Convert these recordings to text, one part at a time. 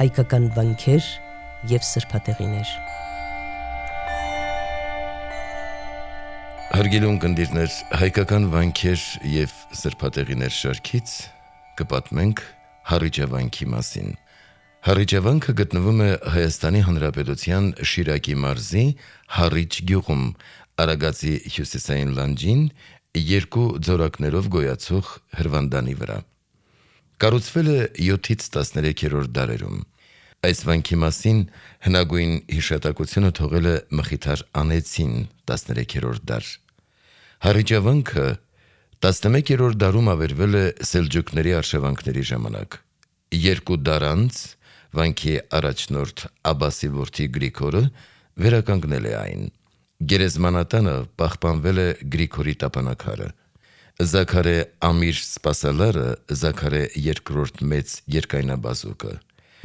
հայկական վանքեր և սրբատեղիներ։ Հարգելի ունկնդիրներ, հայկական վանքեր և սրբատեղիներ շարքից կպատմենք Հառիճավանքի մասին։ Հառիճավանքը գտնվում է Հայաստանի Հանրապետության Շիրակի մարզի Հառիճ գյուղում, Արագածի հյուսիսային լանջին, երկու ձորակներով գոյացող հրվանդանի վրա։ Կառուցվել է 7-ից 13-րդ դարերում։ Այս վանքի մասին հնագույն հիշատակությունը թողել է Մխիթար Անեցին 13-րդ դար։ Հառիճավանքը 11-րդ դարում ավերվել է սելջուկների արշավանքների ժամանակ։ Երկու դար անց վանքի առաջնորդ Աբասի որդի Գրիգորը վերականգնել է այն։ Գերեզմանատանը պահպանվել է Գրիգորի տապանակարը։ Զաքարե Ամիր սպասալարը, Զաքարե II մեծ երկայնաբազուկը,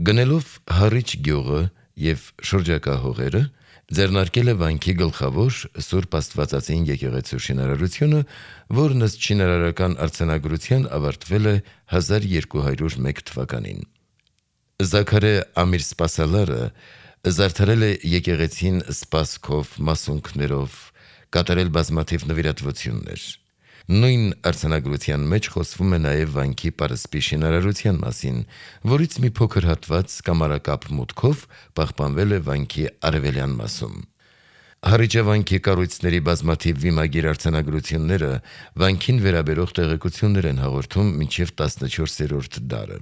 գնելով Հառիճ գյուղը և շրջակա հողերը, ձեռնարկել է վանքի գլխավոր Սուրբ Աստվածածին եկեղեցու շինարարությունը, որն ըստ շինարարական արձանագրության ավարտվել է 1201 թվականին։ Զաքարե Ամիր սպասալարը զարդարել է եկեղեցին սպասքով, մասունքներով, կատարել բազմաթիվ նվիրատվություններ։ Նույն արձանագրության մեջ խոսվում է նաև վանքի պարսպի շինարարության մասին, որից մի փոքր հատված կամարակապ մուտքով պահպանվել է վանքի արևելյան մասում։ Հառիճավանքի կառույցների բազմաթիվ վիմագիր արձանագրությունները վանքին վերաբերող տեղեկություններ են հաղորդում մինչև 14-րդ դարը։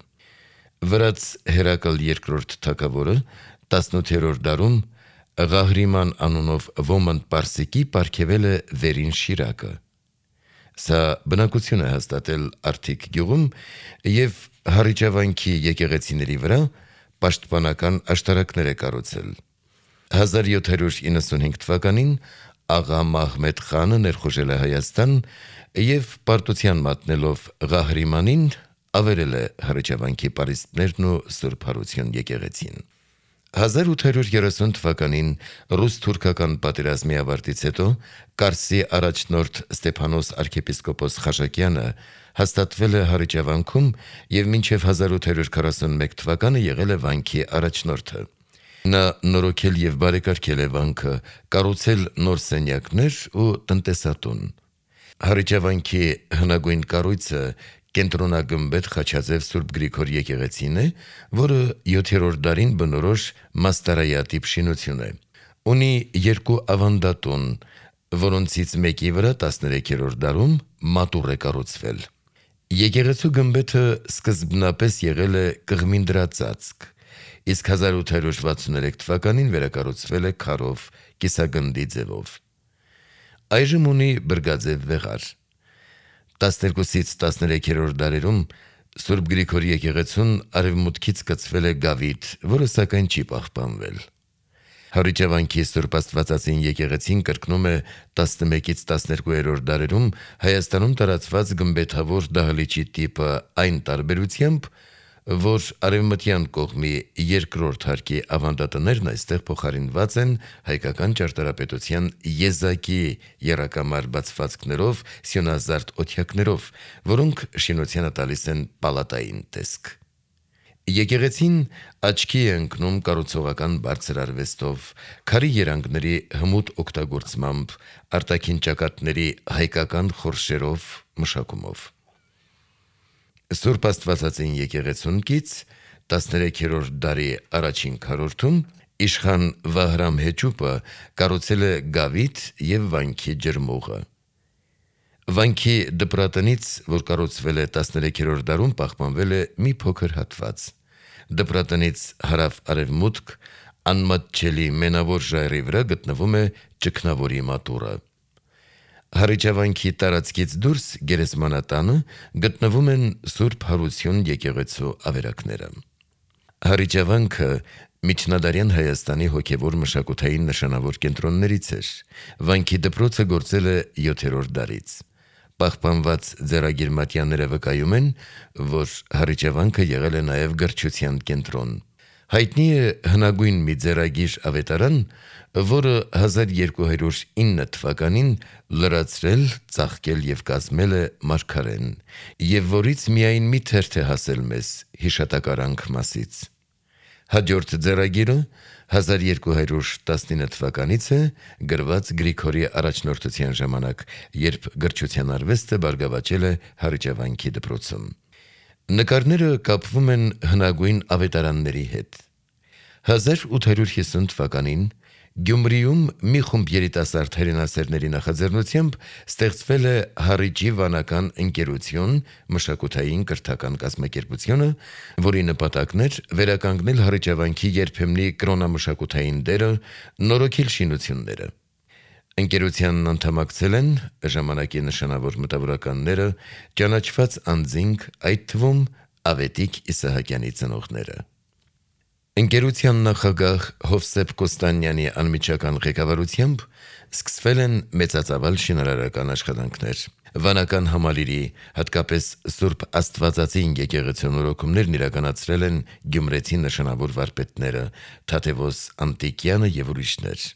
Վրաց Հերակլ II թագավորը 18-րդ դարում Ղահրիման անունով ոմանդ պարսիկի պարգևել է վերին Շիրակը։ Սա բնակություն է հաստատել Արթիկ գյուղում և Հառիճավանքի եկեղեցիների վրա պաշտպանական աշտարակներ է կառուցել։ 1795 թվականին աղա Մահմեդ խանը ներխուժել է Հայաստան և պարտության մատնելով Ղահրիմանին ավերել է Հառիճավանքի պարիսպներն ու Սուրբ Հարություն եկեղեցին։ 1830 թվականին ռուս-թուրքական պատերազմի ավարտից հետո Կարսի առաջնորդ Ստեփանոս arczepiskopos Խաշակյանը հաստատվել է Հառիճավանքում և մինչև 1841 թվականը եղել է վանքի առաջնորդը։ Նա նորոգել և բարեկարգել է վանքը, կառուցել նոր սենյակներ ու տնտեսատուն։ Հառիճավանքի հնագույն կառույցը կենտրոնագմբեթ խաչաձև Սուրբ Գրիգոր եկեղեցին է, որը 7-րդ դարին բնորոշ մաստարայատիպ շինություն է։ Ունի երկու ավանդատուն, որոնցից մեկի վրա 13-րդ դարում մատուռ է կառուցվել։ Եկեղեցու գմբեթը սկզբնապես եղել է կղմինդրածածկ, իսկ 1863 թվականին վերակառուցվել է քարով, կիսագնդի ձևով։ Այժմ ունի բրգաձև վեղար։ 12-ից 13-րդ դարերում Սուրբ Գրիգոր եկեղեցուն արևմուտքից կցվել է գավիթ, որը սակայն չի պահպանվել։ Հառիճավանքի Սուրբ Աստվածածին եկեղեցին կրկնում է 11-ից 12-րդ դարերում Հայաստանում տարածված գմբեթավոր դահլիճի տիպը այն տարբերությամբ, որ արևմտյան կողմի երկրորդ հարկի ավանդատներն այստեղ փոխարինված են հայկական ճարտարապետության եզակի եռակամար բացվածքներով, սյունազարդ օթյակներով, որոնք շինությանը տալիս են պալատային տեսք։ Եկեղեցին աչքի է ընկնում կառուցողական բարձր արվեստով, քարի երանգների հմուտ օգտագործմամբ, արտաքին ճակատների հայկական խորշերով, մշակումով։ Սուրբ Աստվածածին եկեղեցուն կից 13-րդ դարի առաջին քառորդում իշխան Վահրամ Հեչուպը կառուցել է գավիթ և վանքի ջրմուղը։ Վանքի դպրատնից, որ կառուցվել է 13-րդ դարում, պահպանվել է մի փոքր հատված։ Դպրատնից հարավ-արևմուտք անմատչելի մենավոր ժայռի վրա գտնվում է ճգնավորի մատուռը։ Հառիճավանքի տարածքից դուրս գերեզմանատանը գտնվում են Սուրբ Հարություն եկեղեցու ավերակները։ Հառիճավանքը միջնադարյան Հայաստանի հոգևոր մշակութային նշանավոր կենտրոններից էր։ Վանքի դպրոցը գործել է 7-րդ դարից։ Պահպանված ձեռագիր մատյանները վկայում են, որ Հառիճավանքը եղել է նաև գրչության կենտրոն։ Հայտնի է հնագույն մի ձեռագիր ավետարան, որը 1209 թվականին լրացրել, ծաղկել և կազմել է Մարգարեն, և որից միայն մի թերթ է հասել մեզ հիշատակարանք մասից։ Հաջորդ ձեռագիրը 1219 թվականից է, գրված Գրիգորի առաջնորդության ժամանակ, երբ գրչության արվեստը բարգավաճել է Հարիջավանքի դպրոցում։ Նկարները կապվում են հնագույն ավետարանների հետ։ 1850 թվականին Գյումրիում մի խումբ երիտասարդ հերենասերների նախաձեռնությամբ ստեղծվել է Հառիջի վանական ընկերություն, մշակութային կրթական կազմակերպությունը, որի նպատակն էր վերականգնել Հառիջավանքի երբեմնի կրոնամշակութային դերը, նորոգել շինությունները։ Ընկերությանն անդամակցել են ժամանակի նշանավոր մտավորականները, ճանաչված անձինք, այդ թվում Ավետիք Իսահակյանի ծնողները։ Ընկերության նախագահ Հովսեփ Կոստանյանի անմիջական ղեկավարությամբ սկսվել են մեծածավալ շինարարական աշխատանքներ։ Վանական համալիրի, հատկապես Սուրբ Աստվածածին եկեղեցու նորոգումներն իրականացրել են գյումրեցի նշանավոր վարպետները Թադևոս Անտիկյանը եւ ուրիշներ։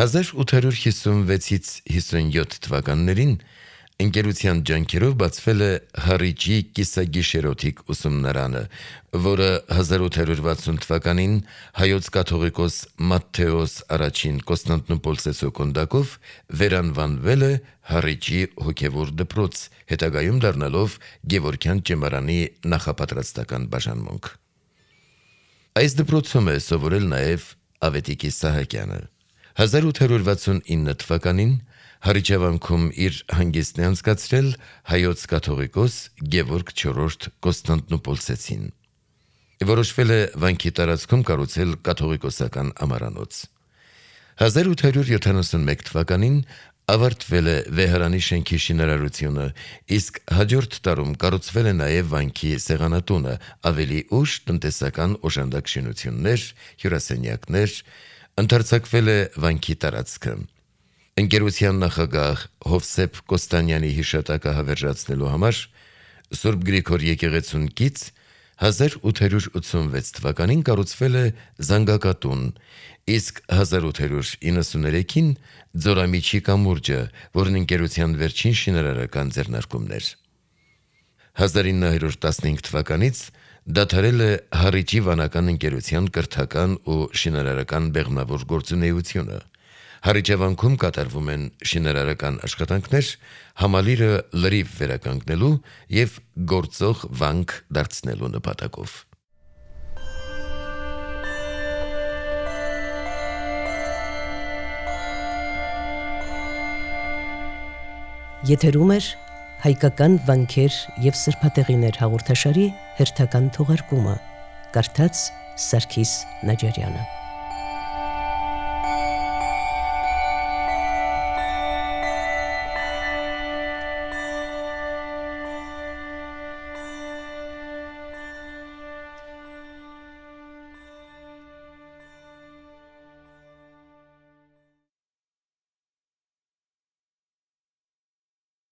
1856-ից 57 թվականներին ընկերության ջանքերով բացվել է Հառիջի կիսագիշերօթիկ ուսումնարանը, որը 1860 թվականին հայոց կաթողիկոս Մատթեոս I Կոստանդնուպոլսեցու կոնդակով վերանվանվել է Հառիջի հոգևոր դպրոց, հետագայում դառնալով Գևորգյան ճեմարանի նախապատրաստական բաժանմունք։ Այս դպրոցում է սովորել նաև Ավետիք Իսահակյանը։ 1869 թվականին Հարիջավանքում իր հանգիստն է անցկացրել հայոց կաթողիկոս Գևորգ IV Կոստանդնուպոլսեցին։ Որոշվել է վանքի տարածքում կառուցել կաթողիկոսական ամարանոց։ 1871 թվականին ավարտվել է Վեհարանի շենքի շինարարությունը, իսկ հաջորդ տարում կառուցվել է նաև վանքի սեղանատունը, ավելի ուշ տնտեսական օժանդակ շինություններ, հյուրասենյակներ, ընդարձակվել է վանքի տարածքը։ Ընկերության նախագահ Հովսեփ Կոստանյանի հիշատակը հավերժացնելու համար Սուրբ Գրիգոր եկեղեցուն կից 1886 թվականին կառուցվել է զանգակատուն, իսկ 1893-ին Ձորամիջի կամուրջը, որն ընկերության վերջին շինարարական ձեռնարկումն էր։ 1915 թվականից դադարել է Հառիջի վանական ընկերության կրթական ու շինարարական բեղմնավոր գործունեությունը։ Հարիջավանքում կատարվում են շինարարական աշխատանքներ համալիրը լրիվ վերականգնելու և գործող վանք դարձնելու նպատակով։ Եթերում էր հայկական վանքեր և սրբատեղիներ հաղորդաշարի հերթական թողարկումը, կարդաց Սարգիս Նաջարյանը։